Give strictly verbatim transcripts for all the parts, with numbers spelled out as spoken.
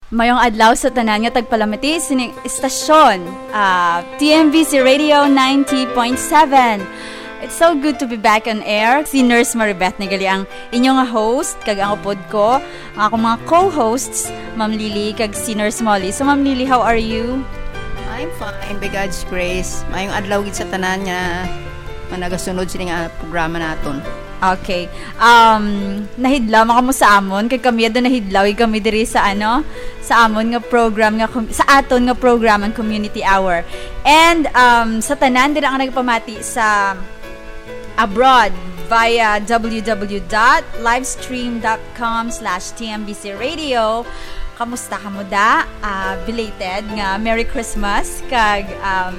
Mayong adlaw sa tanan nga tagpalamati sining istasyon, ah, T M B C Radio ninety point seven. It's so good to be back on air. Si Nurse Maribeth ni gali ang inyo nga host, kag ang upod ko, ang akong mga co-hosts, Ma'am Lily kag si Nurse Molly. So, Ma'am Lily, how are you? I'm fine, by God's grace. Mayong adlaw gid sa tanan nga, nga nagasunod sini nga programa naton. Okay. Um, nahidlaw man kamo sa amon, kag kami adto nahidlaw gid kami diri sa ano, sa amon nga program nga com- sa aton nga program ang Community Hour. And um, sa tanan dira nga nagpamati sa abroad via w w w dot livestream dot com slash t m b c radio. Kamusta kamo da? Ah, belated nga Merry Christmas kag um,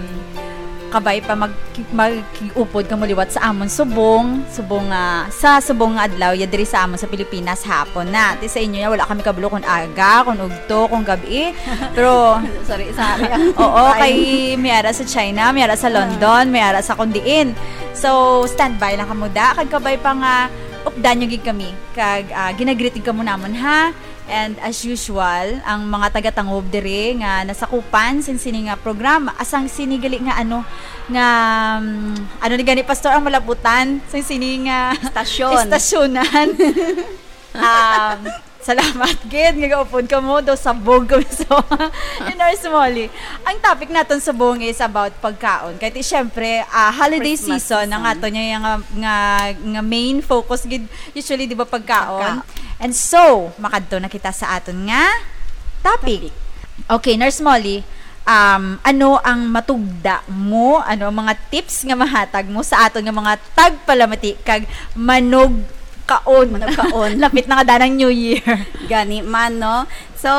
kabay pa mag mag-upod kamo liwat sa amon subong, subong nga sa subong nga adlaw ya diri sa amon sa Pilipinas hapon na. Ti sa inyo ya wala kami kabalo kung aga, kung ugto, kung gabi. Pero Sorry, sorry. ang Oo, time. Kay may ara sa China, may ara sa London, may ara sa kung diin. So, standby lang kamo da. Kag kabay pa nga updan nyo gid kami. Kag ah, ginagreeting kamo namon ha. And as usual, ang mga taga-Tangub diri nga nasakupan sin sini nga programa, asang sini gali nga ano nga mm, ano ni gani pastor ang malaputan sin sini nga Stasyon. Istasyonan. um, salamat gid nga gaupod kamo do sabog kami so in our Smalley. Ang topic naton subong is about pagkaon. Kay ti syempre, ah, holiday Christmas season ang season. ato niya nga, nga, nga main focus gid usually di ba pagkaon. Pagkaon. And so, makadto na kita sa aton nga topic. Okay, Nurse Molly, um, ano ang matugda mo? Ano ang mga tips nga mahatag mo sa aton nga mga tagpalamati kag manugkaon? Manugkaon. Lapit na nga danang New Year. Gani man, no? So,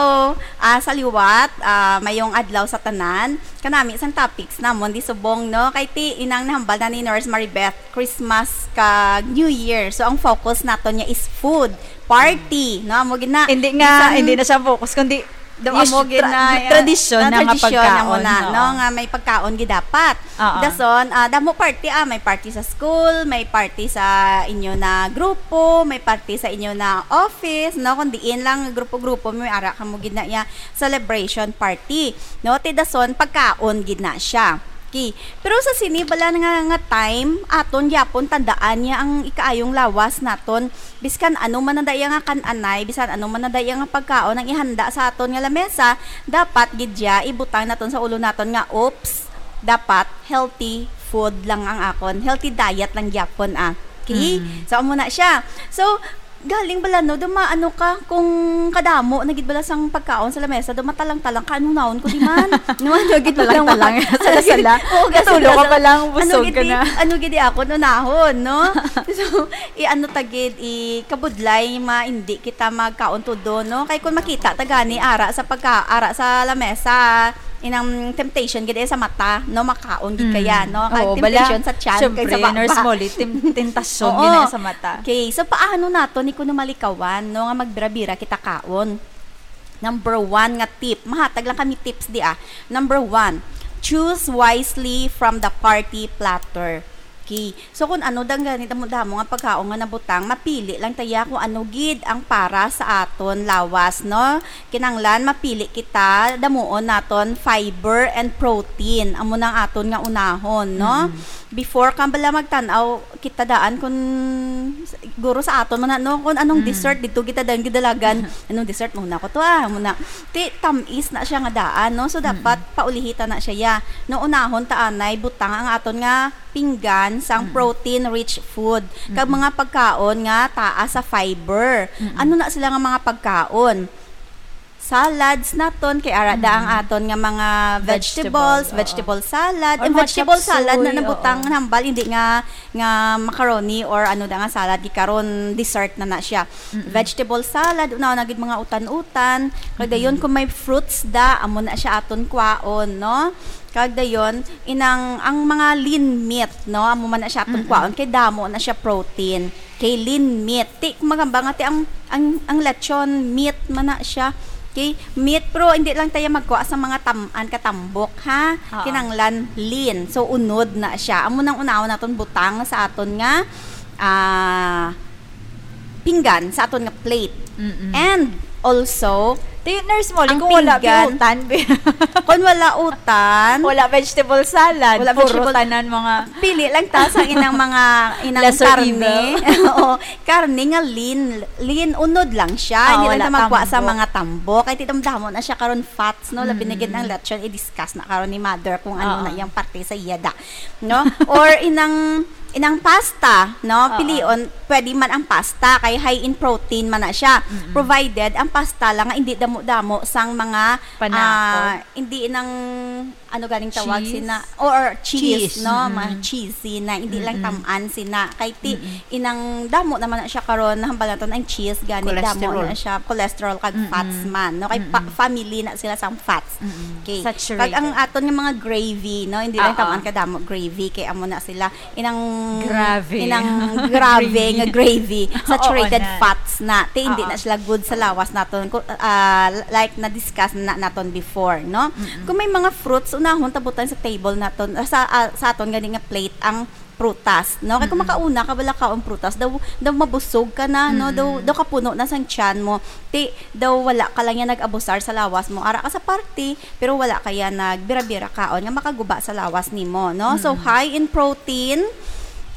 ah, sa liwat, ah, mayong adlaw sa tanan. Kanami sang topics namon di subong, no? Kay ti inang nahambal na ni Nurse Maribeth, Christmas kag New Year. So, ang focus naton niya is food, party, no? Amo gid na. Hindi nga, Bisan- hindi na siya focus, kundi Do us- amo gid tra- na tradisyon na nga tradisyon pagkaon. Amo na, Oo. No, nga may pagkaon gid dapat. Oo. Dason, ah, damo party, ah, may party sa school, may party sa inyo na grupo, may party sa inyo na office, no, kung diin lang grupo-grupo, may ara kamo gid na iya celebration party, no? Ti dason pagkaon gid na siya. Okay. Pero sa sini bala nga, nga time, aton gyapon tandaan niya ang ikaayong lawas naton. Biskan ano man ang daya nga kan-anay, bisan ano man ang daya nga pagkaon ang ihanda sa aton nga lamesa, dapat gid ya ibutang naton sa ulo naton nga, oops, dapat healthy food lang ang akon. Healthy diet lang gyapon, ah. Okay? Mm. So, amo na siya. So, galing bala, no, duma, ano ka, kung kadamo na gid bala sang pagkaon sa lamesa, duma talang-talang ka, ano naon ko di man? No, ano gid bala, Talang-talang, sala-sala. Oo, Natulog ka sala-sala. pa lang, busog Ano gid ka di- na. Ano gid di ako, unahon, no? So, i-ano ta gid, ikabudlay, ma, hindi kita magkaon todo, no? Kay kung makita ta gani, ara sa pagka, ara sa lamesa, inang temptation gid eh sa mata, no? Makaon gid kaya, no? Kay Oo, temptation bala, sa tiyan, syempre, kay sa baba. Nurse Molly, tem- tentasyon Oo. gid na sa mata. Okay, so paano naton ni kuno malikawan, no, nga magbira-bira kita kaon? Number one nga tip. Mahatag lang kami tips di, ah. Number one, choose wisely from the party platter. Okay. So, kung ano dang gani damo-damo nga pagkaon nga nabutang, mapili lang ta ya kung ano gid ang para sa aton lawas, no? Kinanglan mapili kita, damuon naton fiber and protein. Amo nang aton nga unahon, no? Before ka bala magtan-aw, kita daan kung siguro sa aton man na, no, kung anong Mm. dessert dito kita daan gidalagan. Anong dessert muna ko to, ah, muna. Ti tamis na siya nga daan, no? So dapat paulihita na siya ya. No, unahon ta anay butang ang aton nga pinggan sang Mm. protein rich food kag Mm. mga pagkaon nga taas sa fiber. Mm-mm. Ano na sila nga mga pagkaon? Salads naton kay ara da ang Mm. aton nga mga Vegetable, vegetables, oo. vegetable salad, Or and mga vegetable chop salad na suey, nabutang oo. Nahambal, hindi nga nga macaroni or ano da nga salad, karon dessert na na siya. Mm-mm. Vegetable salad, una na gid mga utan-utan. Kag dayon kung may fruits da, amo na siya aton kwaon, no? Kag dayon inang ang mga lean meat, no? Amo man na siya aton Mm-mm. kwaon kay damo na siya protein. Kay lean meat. Ti, magamba nga ti ang, ang, ang lechon meat man na siya. Okay? Meat, pero hindi lang tayo magkuha sa mga tam-an katambok, ha? Oo. Kinanglan lean. So, unod na siya. Amo nang unahon naton butang sa aton nga ah, pinggan, sa aton nga plate. Mm-mm. And also, Ti, Nurse Molly, ang kung wala pinggan, utan, kung wala utan, wala vegetable salad, wala puro vegetable, tanan mga pili lang ta sa inang mga, inang lesser karne. Evil. Oo, karne nga lean, lean unod lang siya. Ah, hindi lang ta magkuha sa tambok. Mga tambok. Kay ti, damo na siya karon fats, no? Labi na gid ang lechon, i-discuss na karon ni mother kung ano na iyang parte sa iya da, no? Or inang, inang pasta, no? Oo. Pilion, pwede man ang pasta, kay high in protein man na siya. Mm-mm. Provided ang pasta lang nga hindi damo-damo sang mga, panakot, ah, hindi nang, ano ganing tawag, cheese? Sina, or, or cheese, cheese, no? Mm-mm. Mga cheesy na, hindi lang, mm-mm, tamaan sina. Kay ti, mm-mm, inang damo naman na siya karon, nahambal naton ang cheese, gani damo na siya, cholesterol kag, mm-mm, fats man, no? Kay pa, mm-mm, family na sila sang fats. Mm-mm. Okay. Saturated. Kag ang aton nga mga gravy, no? Hindi lang, oo, tamaan kadamo gravy, kay amo na sila inang, grave, inang grave nga gravy. Saturated fats na. Oo na. Ti, hindi, oo, na sila good sa lawas naton. Ku-, ah, like na-discuss na naton before, no? Mm-mm. Kung may mga fruits, unahon ta butang sa table naton, ah, sa, ah, sa aton gani nga plate ang prutas, no? Kay kung, mm-mm, makauna ka bala kaon prutas, daw, daw mabusog ka na, no? Mm-mm. Daw, daw kapuno na sang tiyan mo. Ti, daw wala ka lang yan nag-abusar sa lawas mo. Ara ka sa party, pero wala ka yan nagbira-bira kaon nga makaguba sa lawas nimo, no? So, mm-mm, high in protein,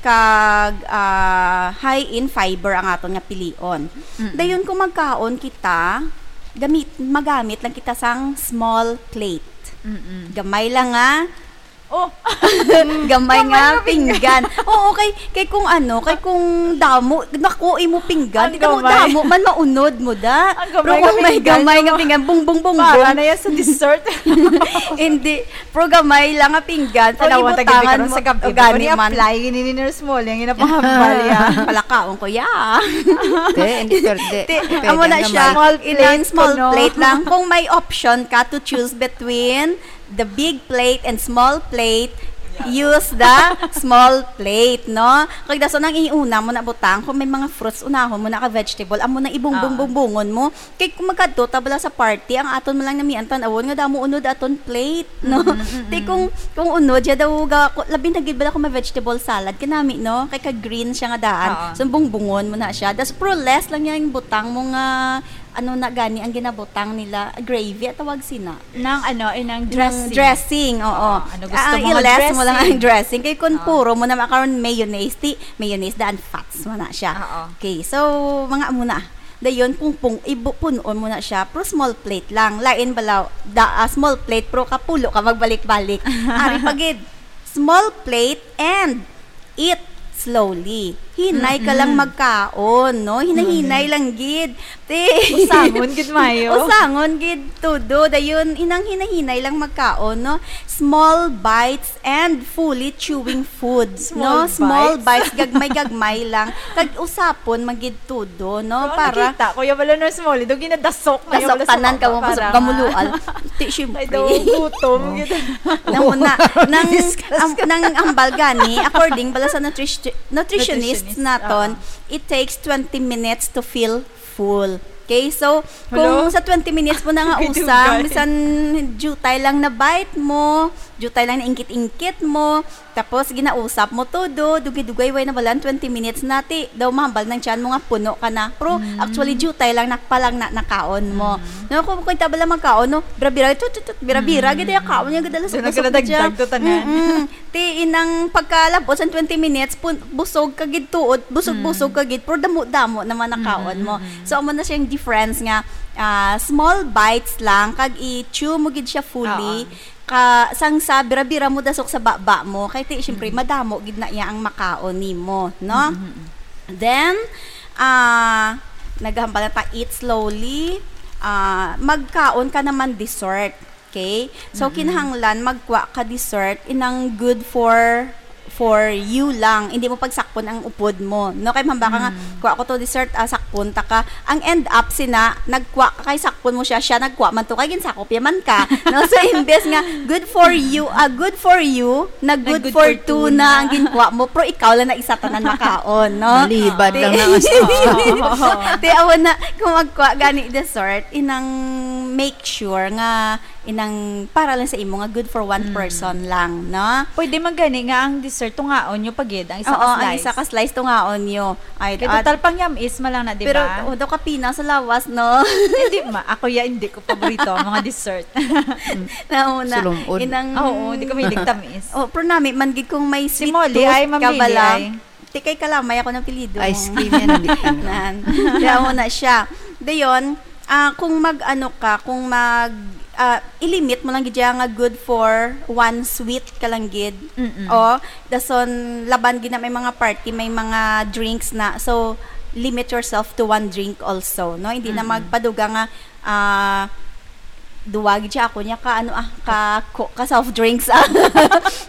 kag, ah, high in fiber ang aton nga pilion. Mm-mm. Dayon, kung magkaon kita, gamit, magamit lang kita sang small plate. Mm-mm. Gamay lang nga, oh, gamay nga pinggan. Oo, kay, kay kung ano, kay kung damo, naku, imo pinggan, ang gamay. Damo man, maunod mo da. Ang gamay nga pinggan, bung, bung, bung, bung. Para na yan sa dessert. Hindi. Pero gamay lang nga pinggan, pag ibutangan mo, sa gabi, o gani man. Ni-apply ni, ni Nurse Molly, ang inapahambal ya. Palakaon ko ya. Te, hindi pwede. Te, pwede amo na siya. Small plate, inang small plate lang. Kung may option ka to choose between the big plate and small plate, use the small plate, no? Kag dason ang iuna mo na butang, kung may mga fruits, unahon mo na ka vegetable, amo na ibungbong-bungbungon mo. Kay kung magkadto ta bala sa party, ang aton man lang namian tan-awon nga damo unod aton plate, no? Mm, mm, mm. Ti kung, kung unod siya daw ga-, ku-, labi na gid bala kung may vegetable salad, kanami, no? Kay ka-green siya nga daan. Oo. So, bungbungon mo na siya. Das, pero less lang yang butang mo nga, ano na gani ang ginabutang nila, gravy, at tawag sina. Nang ano, eh, nang dressing. Nang dressing, oo. Oo, ano gusto mo nga dressing? Ah, i-less mo lang ang dressing. Kay kung puro mo na makaron mayonnaise, ti, mayonnaise daan fats mo na siya. Oo. Okay, so, mga amo na. Dayon, pungpong, ibu-, punon mo na siya, pero small plate lang. Lain bala, da, ah, small plate, pero kapulo ka magbalik-balik. Ari pa gid, small plate and eat slowly. Hinay ka lang magkaon, no? Mm-mm. Hinahinay lang gid. Te. Usangon gid, mayo. Usangon gid, todo. Dayon, inang hinahinay lang magkaon, no? Small bites and fully chewing food, no? Small bites. Small bites, gagmay-gagmay lang. Kag usapon man gid todo, no? Pero para nakita ko, ya bala, Nurse Molly, daw ginadasok na ya bala sa tanan ka mo, para kusog ka mulual. Ti, syempre. Ay, daw gutom, gid. Namo na, nang, am-, nang hambal gani, according bala sa nutris-, nutritionist naton, it takes twenty minutes to feel full. Okay, so, kung sa twenty minutes mo na nga usang, bisan jutay lang na bite mo, jutay lang na ingkit-ingkit mo, tapos ginausap mo todo, dugay-dugay, way na balan, twenty minutes na, ti, daw mahambal ng tiyan mo nga puno ka na. Pero, actually, jutay lang, nakpalang na, nakaon mo. No, kung, kung tabala magkaon, no, bira-bira, tut, tut, tut, bira-bira, gid, ya, kaon niya, gid, alas, so, busog na siya. Nagdagdag to tanan. Mm-mm. Ti, inang pagkalabot sa twenty minutes, pun-, busog ka gid tuod, busog-busog ka gid, pero damo-damo naman nakaon mo. Mm, mm, mm. So, amo na siyang difference nga, ah, small bites lang, kag i-chew mo gid siya fully. Oo. Ka, sang sa bira-bira mo dasok sa baba mo, kay ti, syempre, madamo gid na iya ang makaon nimo, no? Mm, mm, mm. Then, ah, naghambal na ta, eat slowly, ah, magkaon ka naman dessert. Okay? So, kinahanglan magkuha ka dessert, inang good for, for you lang. Hindi mo pagsakpon ang upod mo. No? Kay mahambal ka nga, kuha ko to dessert, ah, sakpon ta ka. Ang end up, sina, nagkuha ka kay sakpon mo siya, siya nagkuha man to, kay ginsakop ya man ka. No? So, imbes nga, good for you, ah, good for you, na good for two na ang ginkuha mo, pero ikaw lang na isa tanan makaon, no? Malibad lang na. Ti, awan na, kung magkuha gani dessert, inang make sure nga inang para lang sa imo nga good for one person lang, no? Pwede man gani nga ang dessert, tungaon nyo pa gid ang isa ka slice. Oo, ang isa ka slice, tungaon nyo. Ay, kay total, pang yam-is man lang na Pero, diba? Oh, daw kapina sa lawas, no? Hindi ma, ako ya, hindi ko paborito ang mga dessert. Nauna, Sulong-od. Inang Oo, hindi ko mahilig tamis. Oh, pero nami man gid kung may Si sweet Molly tooth ay ka mamili bala. Ay. Ti kay Kalamay ako ng apelyido. Ice cream yan, hindi ano. Nan. Kaya mo na siya. Dayon, ah, kung mag-ano ka, kung mag, ah, ilimit mo lang gid siya nga good for one sweet ka lang gid. Mm-mm. O, dason laban gid na may mga party, may mga drinks na. So, limit yourself to one drink also, no? Hindi na Mm-mm. magpaduga nga, ah, duwa gid siya ako niya ka, ano, ah, ka, ko-, ka soft drinks, ah.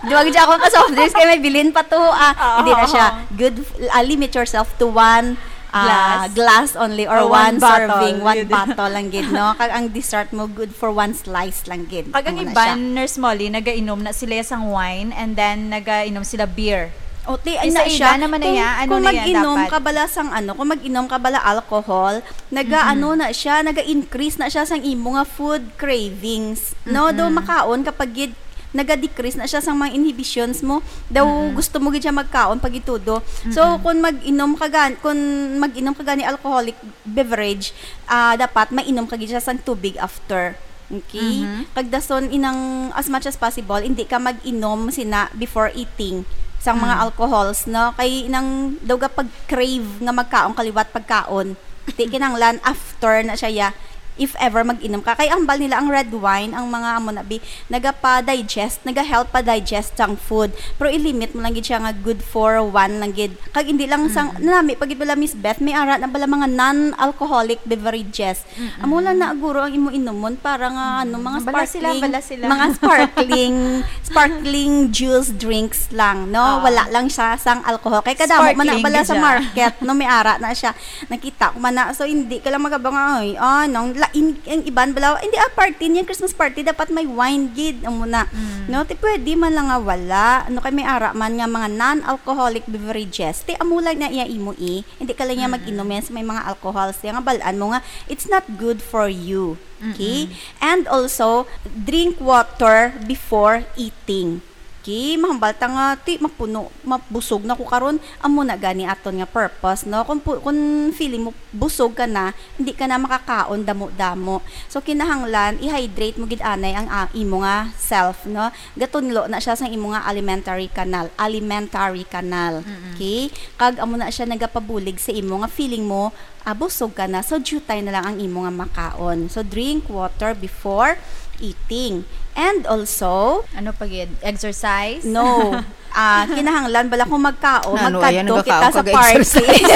Duwa gid siya ako ka soft drinks, kay may bilin pa to, ah. Oo, Hindi na siya. oo. Good, f-, ah, limit yourself to one, ah, Glass. glass only or Or one one bottle. serving, one Yun. bottle lang gid, no? Kag ang dessert mo, good for one slice lang gid. Kag ang Amo na iban, siya. Nurse Molly, nagainom na sila sang wine and then nagainom sila beer. O, ti, Isa ay na ida siya. naman na Kung, ya, ano kung na ya mag-inom dapat? ka bala sang ano, kung mag-inom ka bala alcohol, naga, Mm-mm. ano na siya, naga-increase na siya sang imo nga food cravings. No, do Mm-mm. makaon kapag gid naga-decrease na siya sang mga inhibitions mo. Daw Mm-mm. gusto mo gid siya magkaon pag itudo. So, Mm-mm. kung mag-inom ka gan-, kung mag-inom ka gani alcoholic beverage, ah, dapat mainom ka gid siya sang tubig after. Okay? Mhm. Kag dason inang as much as possible, hindi ka mag-inom sina before eating sang mga Mm. alcohols, no? Kay inang daw ka pag-crave nga magkaon ka liwat pagkaon. Di kinahanglan after na siya, ya, if ever mag-inom ka. Kay ang bal nila ang red wine, ang mga amo na bi, nagapa-digest, naga-help pa-digest sang food. Pero i-limit mo lang gid siya nga good for one lang gid. Kag hindi lang sang, Mm. nami pa gid bala, Miss Beth, may ara na bala mga non-alcoholic beverages. Mm-mm. Amo lang na guro ang imo inumon para nga, ano, Mm. mga Bala sila, sparkling, bala sila. mga sparkling, sparkling juice drinks lang, no? Ah. Wala lang siya sang alcohol. Kay kadamo man na Sparkling bala gid sa siya. market, no? May ara na siya. Nakita ko man na. So, hindi ka lang magabang, "Ay, ah, nang la-, in-, ang iban bala, hindi, ah, party niya, Christmas party, dapat may wine gid." Amo na. Mm. No? Ti pwede man lang nga wala. Ano kay may ara man nga mga non-alcoholic beverages. Ti amo lang na iya imo, eh. Hindi ka lang niya Mm-mm. mag-inom yan sa may mga alcohols. Kaya nga balaan mo nga, it's not good for you. Okay? Mm-mm. And also, drink water before eating. Okay? Mahambal ta nga, ti, mapuno, mabusog na ko karon. Amo na gani aton nga purpose, no? Kung pu-, kung feeling mo busog ka na, hindi ka na makakaon damo-damo. So, kinahanglan, i-hydrate mo gid anay ang, ah, imo nga self, no? Gatunlo na siya sa imo nga alimentary canal. Alimentary canal. Mm-mm. Okay? Kag amo na siya nagapabulig sa imo nga feeling mo, ah, busog ka na. So, jutay na lang ang imo nga makaon. So, drink water before eating. And also, Ano pa gid? Exercise? No. Ah, kinahanglan bala kung magkaon, Na, ano, ayan, magkadto kita nagkakaon sa kag party. exercise.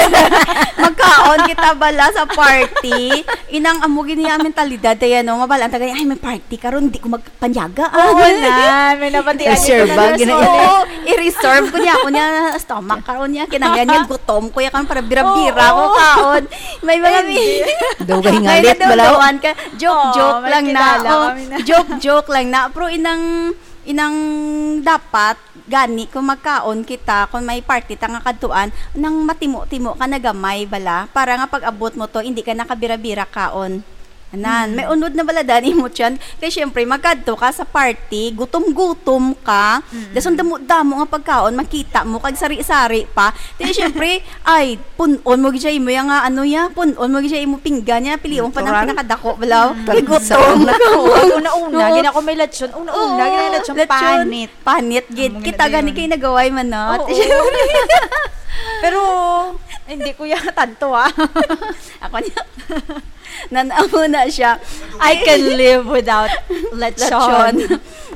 Magkaon kita bala sa party. Inang amo gid niya ang mentalidad, kaya, no, mabalaan ta gani, "Ay, may party karon, di ko magpanyaga, ah." Oo na, may nabatian Reserve ko na ba? Gina- Oo, i-reserve ko niya ako niya stomach karon niya, kinanglan niya, gutom ko ya karon para bira-bira Oo. ko kaon. May mga Hindi. Dugay nga may lit, balaw. nadungduan ka. Joke, Oo, joke may lang na. kilala Oh, kami na. joke, joke lang na. Pero inang, inang dapat, gani, kung magkaon kita, kung may party ta nga kadtuan, nang matimo-timo ka na gamay bala, para nga pag-abot mo to, hindi ka nakabira-bira kaon. Anan, Mm. may unod na bala dan imo tiyan. Kay syempre, magkadto ka sa party, gutom-gutom ka, Mm. dason damo-damo nga pagkaon, makita mo, kag sari-sari pa. Di syempre, ay, pun-on mo gid siya imo yang, ah, ano ya, pun-on mo gid siya imo pinggan ya, pilion pa ng Natural. pinakadako, balaw. Mm. Kay gutom. Natural. Una-una, Oo. gina ko may lechon. Una-una, Oo, gina lechon, lechon. panit. Panit gid. Amo Kita gina gani dayon. kay nagaway man, no? Oo. Pero, hindi ko yan tanto, ah. Ako niya. Nan-amo na siya. I can live without lechon. Lechon.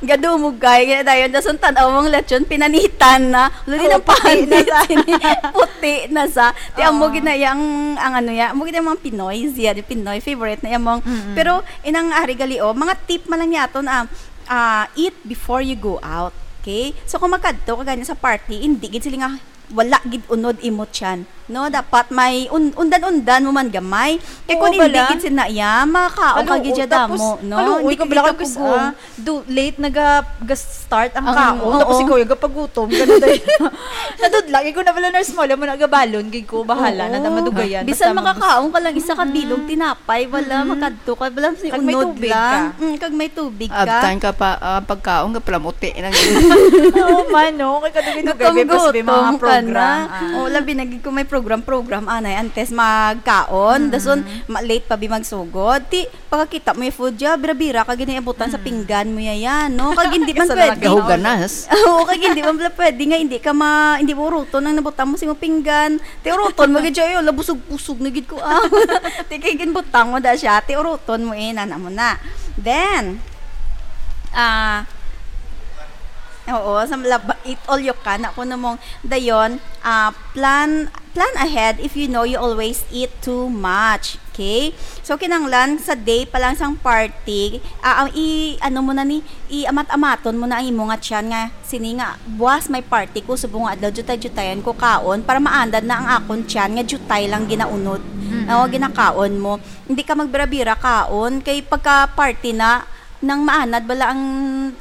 Gadumog kay, kaya dayon, dason tan-aw mong lechon, pinanitan na. Luli Oh, ng puti na panit, sa. sini-, puti na sa. Ti amo Oo. gid na yang, ang ano ya, amo gid ang mga Pinoy, siya, di Pinoy, favorite na yang mga, Mm-mm. pero inang ari gali, oh, mga tip man lang niya aton, ah, ah, eat before you go out. Okay? So, kung magkadto ka gani sa party, hindi gid sila nga wala gid unod imo tiyan. No, dapat may un-, undan-undan mo man gamay. Kay kung Oo, hindi bala. gid sina iya, makakaon ka Kaluoy, gid siya tapos damo, no? kaluoy Hindi ka ka bala bala ka kus-, pugong. ah, do, late naga-, ga-start ang Ang, kaon. Tapos oo. ikaw, yung gapagutom ka na dahil. Nadudla, ikaw na bala, Nurse Molly, mo nagabalon, gid ko, bahala, Oo. na, na madugayan. Bisan Basta mag- makakaon ka lang isa ka bilog Mm. tinapay, wala, Mm. makadto ka, wala, si Kag may unod tubig lang. ka. Mm, kag may tubig ka. Abtan ka pa, ah, pagkaon ka, palamuti na. Oo, man, no? Kay kadugay-dugay, may Gutom-gutom pas-, may mga ka Program, ah. Oh, labi na gid kung may program-program, anay, antes magkaon. Mm. Dason, ma-, late pa bi magsugod. Ti, pagkakita mo yung food, ya, bira-bira ka gid ang abutan sa Mm. pinggan mo, ya, ya, no? Kag hindi man Isa na lang pwede. Gahuganas. Oo, kag hindi man pala pwede nga hindi ka ma-, hindi mo uruton ang nabutang mo sa imong pinggan. Ti uruton mo gid siya, "Ay, ala, busog-busog na gid ko, ah." Ti kay ginbutang mo da siya, ti uruton mo, eh, nana mo na. Then, ah, oo, sa lab-, eat all you can, ako namong dayon, ah, plan, plan ahead if you know you always eat too much. Okay? So, kinahanglan sa day pa lang sang party, ah, ang i-, ano mo na ni, iamat-amaton mo na ang imo nga tiyan nga, "Sini nga, buwas may party ko, subong nga adlaw, jutay-jutayan ko kaon, para maandad na ang akon tiyan nga jutay lang ginaunod, Mm-mm. o ginakaon mo." Hindi ka magbira-bira kaon, kay pagka party na, nang maanad bala ang,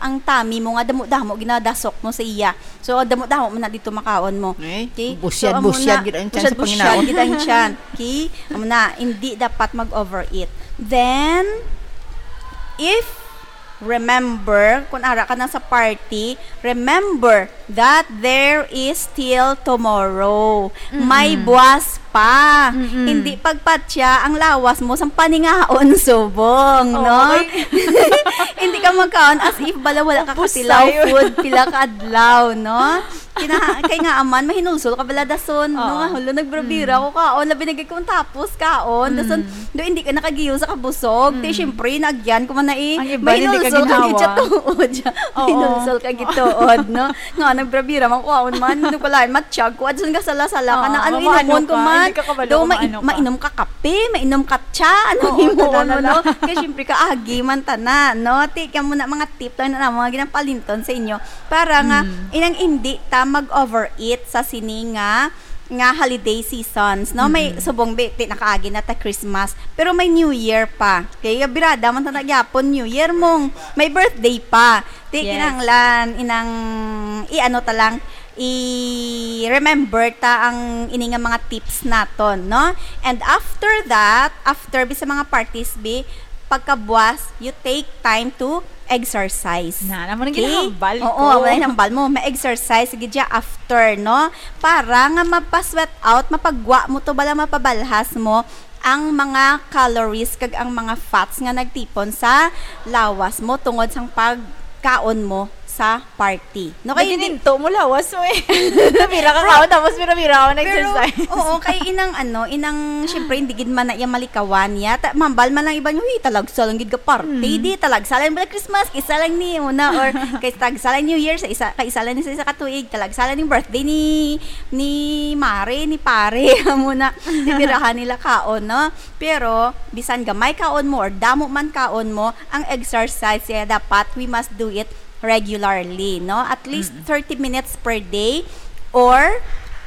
ang tummy mo nga damo-damo ginadasok mo sa iya. So, damo-damo mo na dito makaon mo. Eh, okay? Busyad, So, amo busyad na, gid ang tiyan busyad, sa busyad panginaon. gid ang tiyan. Okay? Amo na, hindi dapat mag-overeat. Then, if, remember, kung ara ka na sa party, remember that there is still tomorrow. Mm-mm. May buwas pa. Mm-mm. Hindi pagpatya ang lawas mo sang paningaon subong, Oo, no? Kay hindi ka magkaon as if bala wala ka Upos katilaw tayo. food, pila ka adlaw, no? Kina-, kay nga aman, mahinulsol ka bala dason, no? Oo. Nga, "Hala, nagbira-bira Mm. ako kaon, labi na gid kung tapos kaon." Dason, Mm. do hindi ka nakagiyo sa kabusog. Ti, Mm. syempre, naagyan ko man na eh. Ang iba, hindi ka Mahinulsol ka gid ginhawa. siya tuod siya. Oo. Mahinulsol ka gid tuod, no? Nga, nagbira-bira man ko kaon man. Ano pala, matsyag ko. Adson ka sala-sala ka Oo, na. Ano, maano inumon ko ka, man? hindi ka kabalo Do, kung ma-, maano ka. mainom ka kape, mainom ka tsa, ano, Oo, himuon mo, tanan na. no? Kay syempre, kaagi man tana, no? Ti, kamo na mga tip lang na mga ginapalinton sa inyo. Para nga, Mm. inang hindi ta mag-overeat sa sini nga, nga holiday seasons, no? May Mm. subong, bi-, ti, nakaagi na ta Christmas, pero may New Year pa. Kaya birada man ta na gyapon New Year mong may birthday pa. Ti, Yes. kinahanglan, inang, i-ano ta lang, i-remember ta ang ini nga mga tips naton, no? And after that, after bi sa mga parties, bi, pagkabuwas, you take time to exercise. Na, amo nang Okay? ginahambal Oo, ko. amo nang ginahambal mo. Ma-exercise gid siya after, no? Para nga mapa-sweat out, mapagwa mo to, bala mapabalhas mo ang mga calories kag ang mga fats nga nagtipon sa lawas mo tungod sang pagkaon mo sa party. No, kay hindi Nagininto mo lawas mo eh. Nabira ka Bro, kaon, tapos bira-bira ka pero, nag-exercise. oo, kay inang ano, inang, syempre, hindi gid man na iya malikawan niya. Ta-, mambal man lang iba niyo, "Uy, talagsa lang gid ka party." Hmm. Di, talagsa lang bala Christmas, isa lang ni una, or kay talagsa lang New Year, sa isa, kay isa lang ni sa isa ka tuig, talagsa lang ning birthday ni, ni Mare, ni Pare, amo na, di birahan nila kaon, no? Pero, bisan gamay kaon mo or damo man kaon mo, ang exercise, eh, dapat we must do it regularly, no? At least Mm. thirty minutes per day or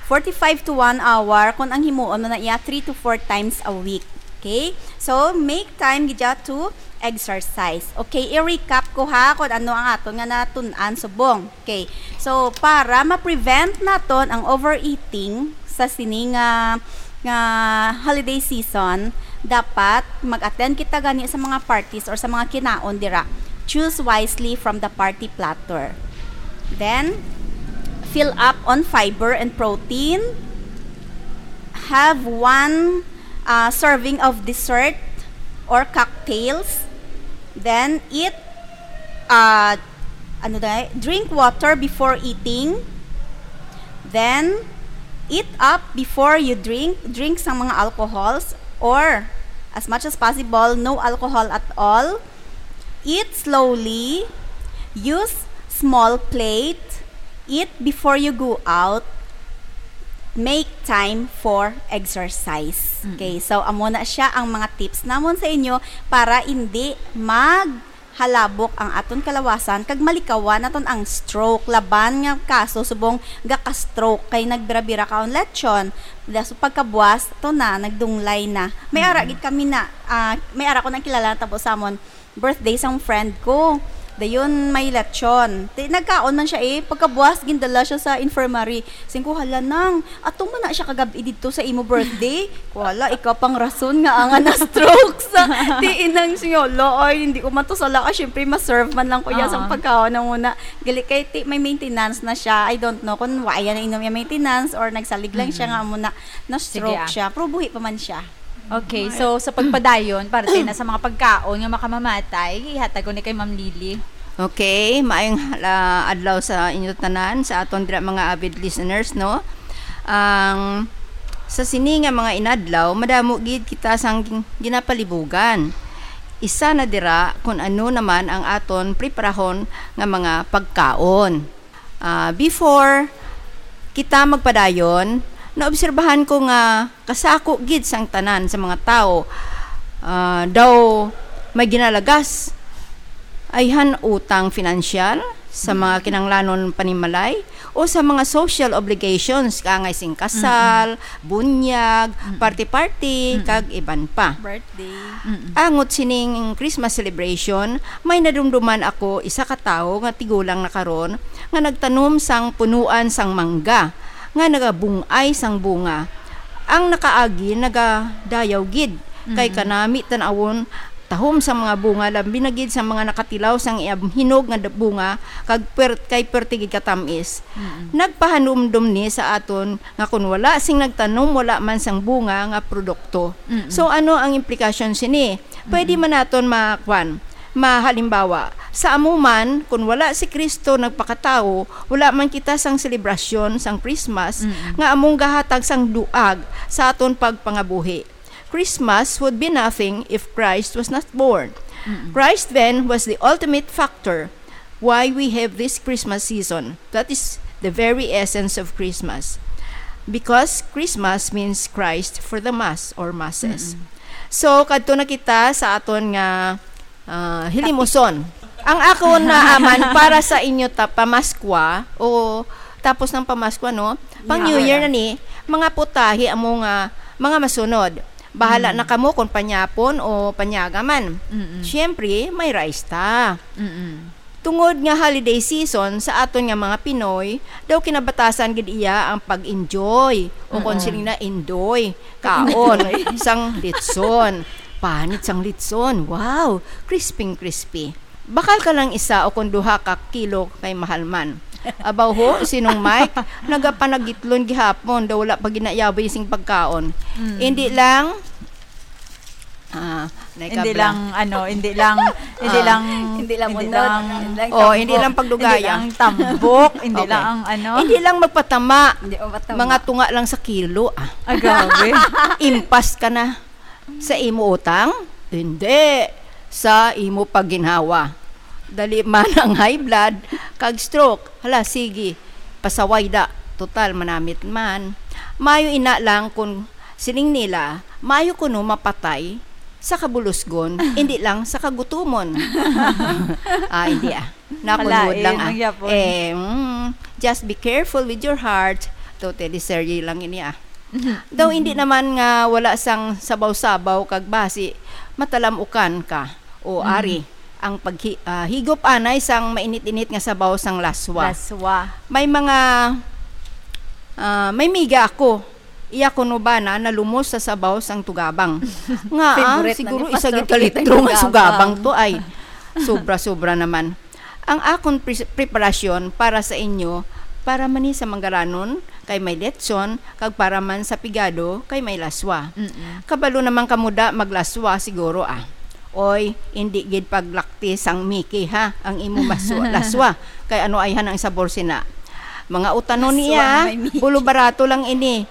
forty-five to one hour kung ang himuon mo na iya three to four times a week. Okay? So, make time gid to exercise. Okay, i-recap ko ha kung ano ang aton nga natun-an subong. Okay. So, para ma-prevent naton ang overeating sa sini nga, nga holiday season, dapat mag-attend kita gani sa mga parties or sa mga kinaon dira. Choose wisely from the party platter. Then, fill up on fiber and protein. Have one, uh, serving of dessert or cocktails. Then, eat, uh, ano na, drink water before eating. Then, eat up before you drink. Drink sang mga alcohols or, as much as possible, no alcohol at all. Eat slowly. Use small plate. Eat before you go out. Make time for exercise. Mm. Okay, so amo na siya ang mga tips namon sa inyo para hindi maghalabok ang aton kalawasan kag malikawan naton ang stroke. Laban nga kaso subong gaka-stroke kay nagbira-bira kaon lechon. Das pagkabuwas to na, nagdunglay na. May ara Mm. gid kami na, ah, may ara ko nang kilala na tabo samon. Birthday sang friend ko. Dayon may lechon. Ti, nagkaon man siya eh. Pagkabuas, gindala siya sa infirmary. Sing ko, "Hala, nang, ato man na siya kagab-i didto sa imo birthday." Ko, "Hala, ikaw pang rason nga ang na-stroke sa." Ti, inang siya, "Hala, ay, hindi ko man to sala. Ah, syempre, ma-serve man lang ko iya sang Oo. pagkaon na muna." Gali kay, ti, may maintenance na siya. I don't know kung wa iya na inom iya maintenance or nagsalig lang siya Mm. nga muna na-stroke Sige, ah. siya. Pero buhi pa man siya. Okay, so sa pagpadayon, parte na sa mga pagkaon nga makamamatay, ihatag ko ni kay Ma'am Lily. Okay, maayong, ah, adlaw sa inyo tanan, sa aton dira mga avid listeners, no? Ang, sa sini nga mga inadlaw, madamo gid kita sang gin-, ginapalibugan. Isa na dira kung ano naman ang aton preparahon nga mga pagkaon. Ah, before kita magpadayon, naobserbahan ko nga kasako gid sang tanan sa mga tawo, ah, daw may ginalagas, ayhan utang finansyal sa mga kinahanglanon panimalay o sa mga social obligations, kaangay sing kasal, bunyag, Mm-mm. party-party, Mm-mm. kag iban pa. Birthday. Mm-mm. Angot sining Christmas celebration, may nadumduman ako isa ka tawo nga tigulang na karon nga nagtanom sang punuan sang mangga nga nagabung-ay sang bunga. Ang nakaagi nagadayaw gid kay Mm. kanami tan-awon tahom sang mga bunga, labi na gid sa mga nakatilaw sang iyang hinog nga da-, bunga kag puwer-, kay puwerte gid katamis. Mm-mm. Nagpahanumdom ni sa aton nga kon wala sing nagtanom, wala man sang bunga nga produkto. Mm-mm. So, ano ang implikasyon sini? Pwede Mm-mm. man naton ma-, kwan, mahalimbawa, sa amo man, kun wala si Cristo nagpakatawo, wala man kita sang selebrasyon sang Christmas Mm-mm. nga among gahatag sang duag sa aton pagpangabuhi. Christmas would be nothing if Christ was not born. Mm-mm. Christ then was the ultimate factor why we have this Christmas season. That is the very essence of Christmas. Because Christmas means Christ for the mass or masses. Mm-mm. So, kadto na kita sa aton nga, ah, hilimuson. Ang akon na aman para sa inyo ta-, pamaskwa o tapos ng pamaskwa, no? Pang Yeah. New Year na ni, mga putahe amo nga mga masunod. Bahala Mm. na kamo kung panyapon o panyaga man. Mm-mm. Siyempre, may rice ta. Mm-mm. Tungod nga holiday season sa aton nga mga Pinoy, daw kinabatasan gid iya ang pag-enjoy o kung Mm-mm. sino na enjoy, kaon Enjoy. sang litson. Panit sang litson. Wow, crisping crispy. Bakal ka lang isa o kung duha ka kilo kay mahal man. Abaw ho, sinong Mike, nagapanagitlon gihapon, daw wala pa ginayaboy sing pagkaon. Mm. Hindi lang, ah, nay Hindi kabra. lang, ano, hindi lang, hindi Ah. lang, Hindi lang hindi unod, lang, hindi lang Oh, hindi tambok, lang pagdugaya. hindi lang tambok, hindi Okay. lang, ano. Hindi lang magpatama. Hindi magpatama. Mga tunga lang sa kilo, ah. Ah, grabe. Impas ka na sa imo utang? Hindi. Sa imo pagginhawa. Dali man ang high blood kag stroke. Hala, sige. Pasaway da. Total, manamit man. Mayo ina lang kung siling nila, mayo kuno mapatay sa kabulusgon, hindi lang sa kagutumon. Ah, hindi ah. Nakunod Malain lang ah. ang yapon. Eh, mm, just be careful with your heart. To teleserye lang ini ah. Daw hindi naman nga wala sang sabaw-sabaw kag basi, matalamukan ka. O Mm. ari, ang paghi-, ah, higop anay sang mainit-init nga sabaw sang laswa. Laswa. May mga, ah, may miga ako. Iya kuno bana nalumos sa sabaw sang tugabang. Nga, ah, Favorite na siguro ni isa Pastor gid ka Pete litro nga tugabang. sugabang to ay sobra-sobra naman. Ang akon pre-, preparasyon para sa inyo, para man ni sa manggaranon, kay may letson, kag para man sa pigado, kay may laswa. Mm-mm. Kabalo naman kamo da maglaswa siguro, ah. Oy, hindi gid paglakti sang Mickey, ha, ang imo maswa, laswa. Kay ano ayhan ang sabor sina? Mga utanon Laswa niya, nga may Mickey. Bulo barato lang ini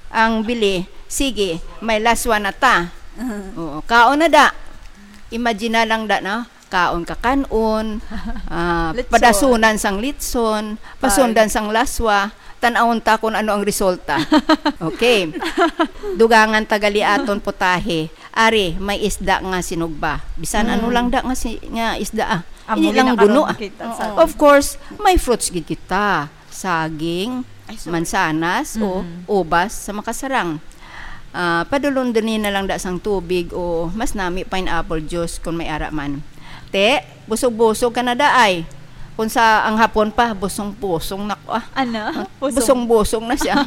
ang bili. Sige, may laswa na ta. Uh-huh. Oo, kaon na da. Imagine na lang da, no? Kaon ka kanon, ah, Litson. padasunan sang litson, Pag- pasundan sang laswa, tan-awon ta kung ano ang resulta. Okay. Dugangan ta gali aton putahe. Ari, may isda nga sinugba. Bisan ano Mm. lang da nga si-, nga isda, ah. Amo Hindi lang gid na guno, karon ah. kita sa Oo. Of course, may fruits gid kita. Saging, Ay, sorry. mansanas, o Mm. ubas sa makasarang. Ah, padulon din na lang da sang tubig o mas nami pineapple juice kung may ara man. Te, busog-busog ka na daay. Kung sa ang hapon pa, busong-busong na ko, ah. Ano? Busong. Busong-busong na siya.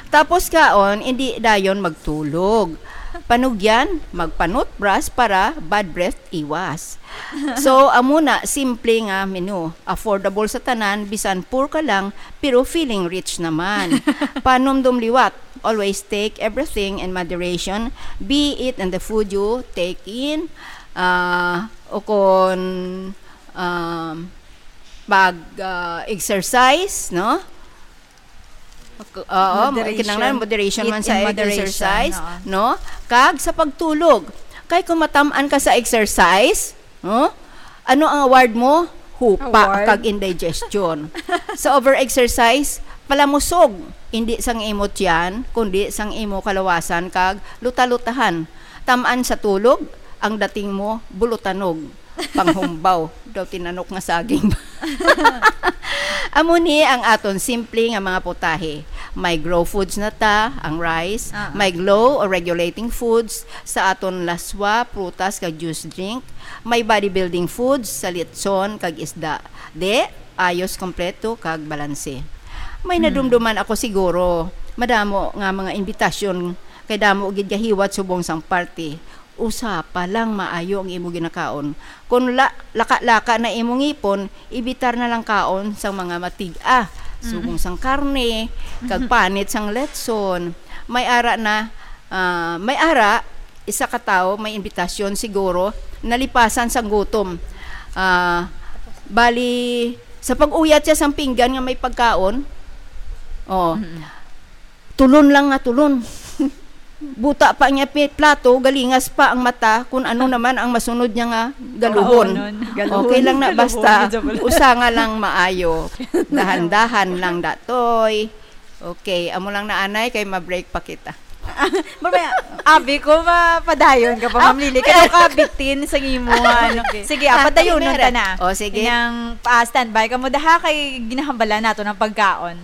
Tapos kaon, hindi dayon magtulog. Panugyan, magpanutbras para bad breath iwas. So, amo na, simple nga menu. Affordable sa tanan, bisan poor ka lang, pero feeling rich naman. Panumdom liwat, always take everything in moderation, be it in the food you take in, ah, o kon, um, pag, ah, exercise, no? Mak-, oo, Moderation. Kinahanglan moderation Eat man in sa moderation, exercise, oo. No? Kag sa pagtulog. Kay kung matam-an ka sa exercise, no? Ano ang award mo? Hupa Award? Kag indigestion. Sa overexercise, palamusog, hindi sang imo tiyan, kundi sang imo kalawasan kag luta-lutahan. Tam-an sa tulog, ang dating mo, bulutanog. Panghumbaw, daw tinanok nga saging. Amo ni ang aton simple nga mga putahe. May grow foods na ta, ang rice, Ah, ah. may glow or regulating foods sa aton laswa, prutas kag juice drink, may bodybuilding foods sa litson kag isda. Di, ayos, kompleto kag balanse. May Hmm. nadumduman ako siguro, madamo nga mga imbitasyon kay damo gid gahiwat subong sang party. Usa pa lang maayo ang imo ginakaon. Kung la-, laka-laka na imo ngipon, ibitar na lang kaon sang mga matig-a, Mm. subong sang karne, kag panit sang letson. May ara na, ah, may ara, isa ka tawo, may imbitasyon siguro, nalipasan sang gutom. Ah, bali, sa pag-uyat siya sang pinggan nga may pagkaon, oh, Mm. tulon lang nga tulon. Buta pa niya pi-, plato, galingas pa ang mata, kung ano naman ang masunod niya nga galuhon. Galuhon. Okay lang na, Galuhon, basta medyo pala. usa nga lang maayo. Dahan-dahan lang, datoy. Okay, amo lang na, anay, kay ma-break pa kita. Mamaya, abi ko, mapadayon ka pa, Ah, Ma'am Lily. Kaya ka bitin sa imo, ano. Sige. Sige, ah, Ah, padayonon ta mere. na. O, sige. Inang, ah, standby ka mo, daha kay ginahambalan nato ng pagkaon.